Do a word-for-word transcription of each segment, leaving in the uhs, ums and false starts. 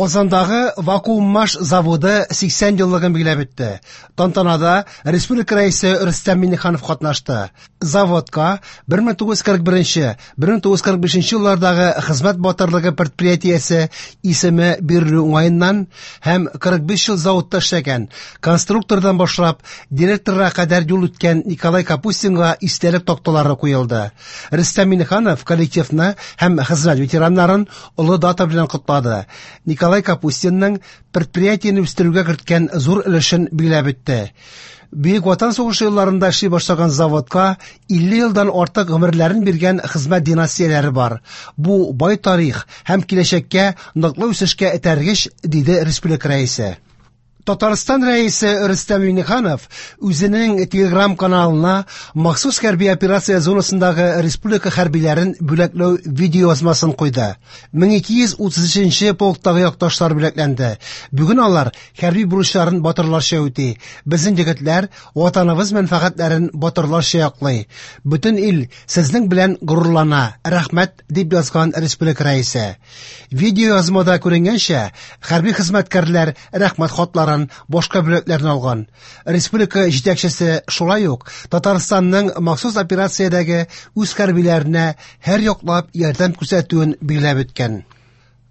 Казандагы Вакууммаш заводы сиксән еллыгын билгеләп үтте. Тантанада республика рәисе Рөстәм Миңнеханов катнашты. Заводка бер мең тугыз йөз кырык беренче, бер мең тугыз йөз кырык бишенче еллардагы хезмәт батырлыгы предприятиесе исеме бирелү уңаеннан һәм кырык биш ел заводта эшләгән конструктордан башлап директорга кадәр юл үткән Николай Капустинга истәлек такталары куелды. Рөстәм Миңнеханов коллективны һәм хезмәт ветераннарын олы дата белән котлады. Николай Капустинның предприятиене үстерүгә керткән зур өлешен билгеләп үтте. Бөек Ватан сугышы елларында эшли башлаган заводка илле елдан артык гомерләрен биргән хезмәт династияләре бар. Бу бай тарих һәм киләчәккә ныклы үсешкә этәргеч, диде республика рәисе. Татарстан рәисе Рөстәм Миңнеханов үзенең Телеграм каналына махсус хәрби операция зонасындагы республика хәрбиләрен бүләкләү видеоязмасын куйды. Мең ике йөз утыз өченче полктагы якташлар бүләкләнде. Бүген алар хәрби бурычларын батырларча үти. Безнең егетләр ватаныбыз мәнфәгатьләрен батырларча яклый. Бөтен ил сезнең белән горурлана. Рәхмәт, дип язган республика рәисе. Видеоязмада күренгәнчә, хәрби хезмәткәрләр рәхмәт хатларын, башка бүләкләрне алган. Республика җитәкчесе шулай ук Татарстанның махсус операциядәге үз хәрбиләренә һәр яклап ярдәм күрсәтүен билгеләп үткән.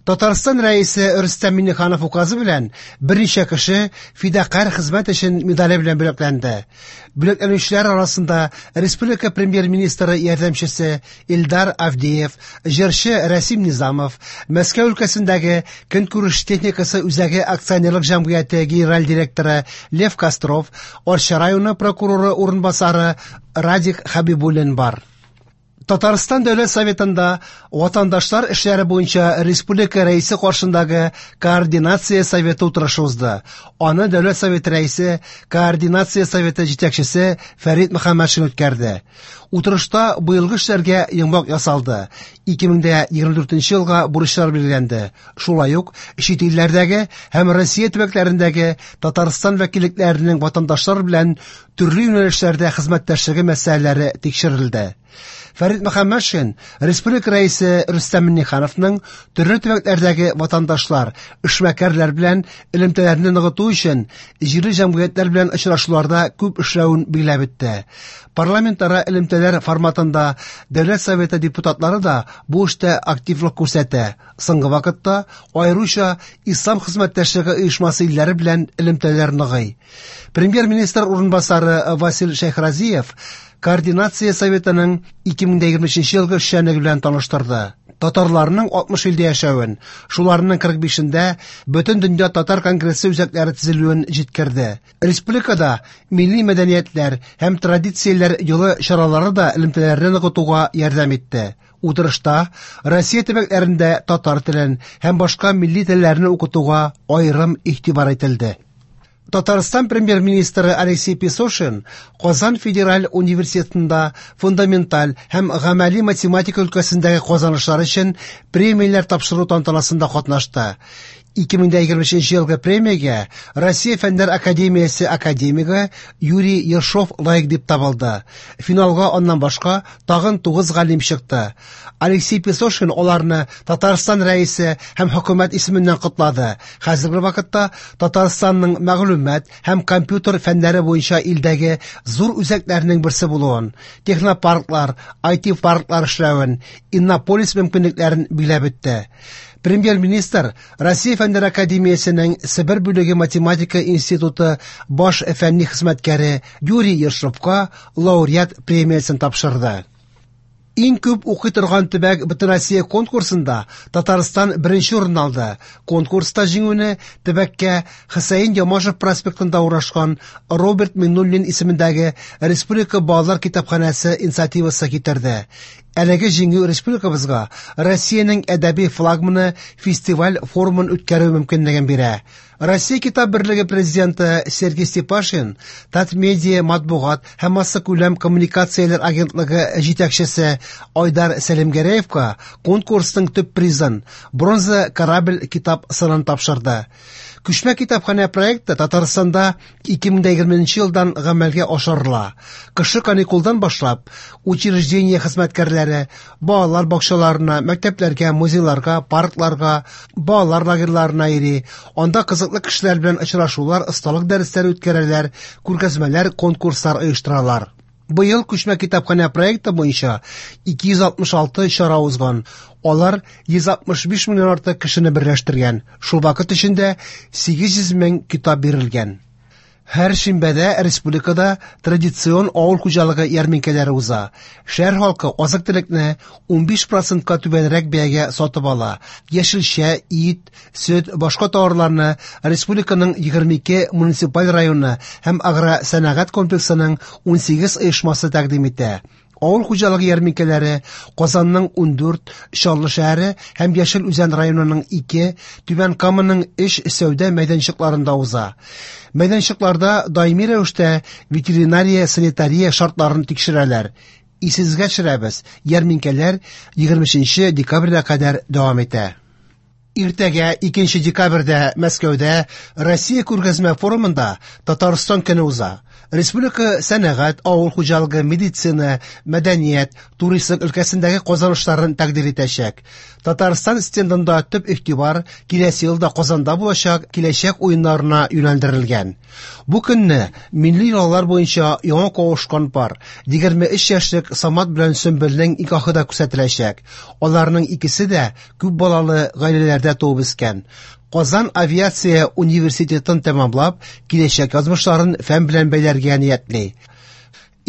Татарстан рәисе Рөстәм Миңнеханов указы белән берничә кеше фидакарь хезмәт өчен медале белән бүләкләнде. Бүләкләнүчеләр арасында республика премьер-министры ярдәмчесе Илдар Авдеев, җырчы Рәсим Низамов, Мәскәү өлкәсендәге көнкүреш техникасы үзәге акционерлык җәмгыяте генераль директоры Лев Костров, Арча районы прокуроры урынбасары Радик Хабибуллин бар. Татарстан Дәүләт Советында ватандашлар эшләре буенча республика рәисе каршындагы координация советы утырышы узды. Аны Дәүләт Советы рәисе, координация советы җитәкчесе Фәрит Мөхәммәтшин үткәрде. Утырышта быелгы эшләргә йомгак ясалды. Ике мең дә егерме дүртенче елга бурычлар билгеләнде. Шулай ук чит илләрдәге һәм Россия төбәкләрендәге Татарстан вәкиллекләренең ватандашлар белән төрле юнәлешләрдә хезмәттәшлеге мәсьәләләре тикшерелде. Фәрит Мөхәммәтшин республика рәисе Рөстәм Миңнехановның төрле төбәкләрдәге ватандашлар, эшмәкәрләр белән элемтәләрне ныгыту өчен җирле җәмгыятьләр белән очрашуларда күп эшләвен билгеләп үтте. Парламентара элемтәләр форматында Дәүләт Советы депутатлары да бу эштә активлык күрсәтә. Соңгы вакытта аеруча Ислам хезмәттәшлеге оешмасы илләре белән элемтәләр ныгый. Премьер-министр урынбасары Васил Шәйхразиев Координация советының ике мең дә егерме өченче елгы эшчәнлеге белән таныштырды. Татарларның алтмыш илдә яшәвен, шуларның кырык бишендә Бөтен дөнья татар конгрессы үзәкләре төзелүен җиткерде. Республикада милли мәдәниятләр һәм традицияләр юлы чаралары да элемтәләрне ныгытуга ярдәм итте. Утырышта Россия төбәкләрендә татар телен һәм башка милли телләрне укытуга аерым игътибар ителде. Татарстан премьер-министры Алексей Песошин Казан федераль университетында фундаменталь һәм гамәли математика өлкәсендәге казанышлар өчен премияләр тапшыру тантанасында катнашты. Ике мең дә егерме өченче елгы премиягә Россия Фәннәр академиясе академигы Юрий Ершов лаек дип табылды. Финалга аннан башка тагын тугыз галим чыкты. Алексей Песошин аларны Татарстан рәисе һәм хөкүмәт исеменнән котлады. Хәзерге вакытта Татарстанның мәгълүмат һәм компьютер фәннәре буенча илдәге зур үзәкләрнең берсе булуын, технопарклар, ай ти-парклар эшләвен, Иннополис мөмкинлекләрен билгеләп үтте. Премьер-министр Россия Фәннәр академиясенең Себер бүлеге математика институты баш фәнни хезмәткәре Юрий Ершовка лауреат премиясен тапшырды. Иң күп укый торган төбәк Бөтенроссия конкурсында Татарстан беренче урын алды. Конкурста җиңүне төбәккә Хөсәен Ямашев проспектында урнашкан Роберт Миңнуллин исемендәге Республика балалар китапханәсе инициативасы китерде. Әлеге җиңү республикабызга Россиянең әдәби флагманы фестиваль форумын үткәрү мөмкинлеген бирә. Россия Китап берлеге президенты Сергей Степашин, Татмедиа матбугат һәм массакүләм коммуникацияләр агентлыгы җитәкчесе Айдар Сәлимгәрәевка конкурсның төп призын бронза корабль китап сынын тапшырды. Күчмә китапханә проекты Татарстанда ике мең егерменче елдан гамәлгә ашырыла. Кышкы каникулдан башлап, учреждение хезмәткәрләре балалар бакчаларына, мәктәпләргә, музейларга, паркларга, балалар лагерьларына йөри. Анда кызыклы кешеләр белән очрашулар, осталык дәресләре үткәрәләр, күргәзмәләр, конкурслар оештыралар. Быел күчмә китапханә проекты буенча ике йөз алтмыш алты чара узган. Алар йөз алтмыш биш меңнән артык кешене берләштергән. Шул вакыт эчендә сигез йөз мең китап бирелгән. Һәр шимбәдә республикада традицион авыл хуҗалыгы ярминкәләре уза. Шәһәр халкы азык-төлекне унбиш процентка түбәнрәк бәягә сатып ала. Яшелчә, ит, сөт, башка товарларны республиканың егерме ике муниципаль районы һәм агросәнәгать комплексының унсигез оешмасы тәкъдим итә. Авыл хуҗалыгы ярминкәләре Казанның ундүрт, Чаллы шәһәре һәм Яшел Үзән районының ике, Түбән Каманың өч сәүдә мәйданчыкларында уза. Мәйданчыкларда даими рәвештә ветеринария-санитария шартларын тикшерәләр. Исегезгә төшерәбез, ярминкәләр егерме өченче декабрьгә кадәр дәвам итә. Иртәгә икенче декабрьдә Мәскәүдә Россия күргәзмә форумында Татарстан көне уза. Республика сәнәгать, авыл хуҗалыгы, медицина, мәдәният, туристлык өлкәсендәге казанышларын тәкъдир итәчәк. Татарстан стендында төп игътибар киләсе елда Казанда булачак киләчәк уеннарына юнәлдерелгән. Бу көнне милли йолалар буенча яңа кавышкан пар егерме өч яшьлек Самат белән Сөмбелнең никахы да күрсәтеләчәк. Аларның икесе дә күп балалы гаиләләрдә туып үскән. Казан авиация университетын тәмамлап, киләчәк язмышларын фән белән бәйләргә ниятли.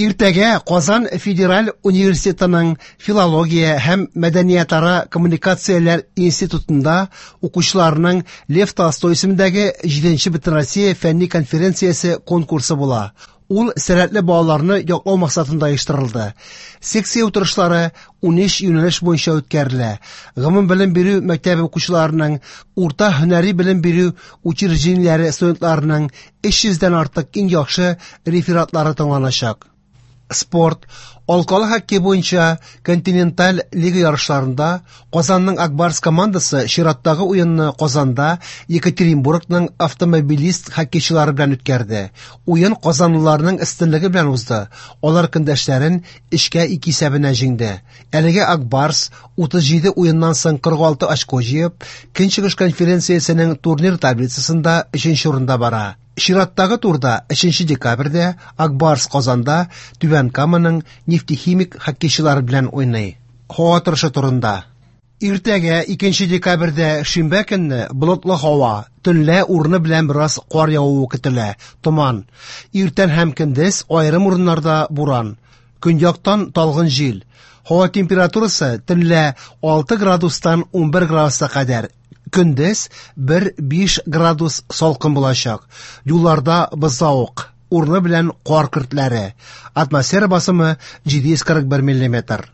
Иртәгә Казан федераль университетының филология һәм мәдәниятара коммуникацияләр институтында укучыларның Лев Толстой исемендәге җиденче Бөтенроссия фәнни конференциясе конкурсы була. Ул сәләтле балаларны яклау максатында оештырылды. Секция утырышлары унөч юнәлеш буенча үткәрелә. Гомум белем бирү мәктәбе укучыларының, урта һөнәри белем бирү учреждениеләре студентларының өч йөздән артык иң яхшы рефератлары тыңланачак. Спорт, алкалы хоккей буенча континенталь лига ярышларында Казанның Акбарс командасы чираттагы уенны Казанда Екатеринбургның автомобилист хоккейчылары белән үткәрде. Уен казанлыларның өстенлеге белән узды. Алар көндәшләрен өчкә ике исәбенә җиңде. Әлегә Акбарс утыз җиде уеннан соң кырык алты очко җыеп, Көнчыгыш конференциясенең турнир таблицасында өченче урында бара. Чираттагы турда өченче декабрьдә Акбарс Казанда Түбән Каманың нефтехимик хоккейчылары белән уйный. Һава торышы турында. Иртәгә икенче декабрьдә шимбә көнне болытлы һава, төнлә урыны белән бераз кар явуы көтелә, томан. Иртән һәм көндез аерым урыннарда буран. Көньяктан талгын җил. Һава температурасы төнлә алты градустан унбер градуска кадәр. Көндез бер биш градус салкын булачак. Юлларда бозлавык, урыны белән кар көртләре. Атмосфера басымы җиде йөз кырык бер миллиметр.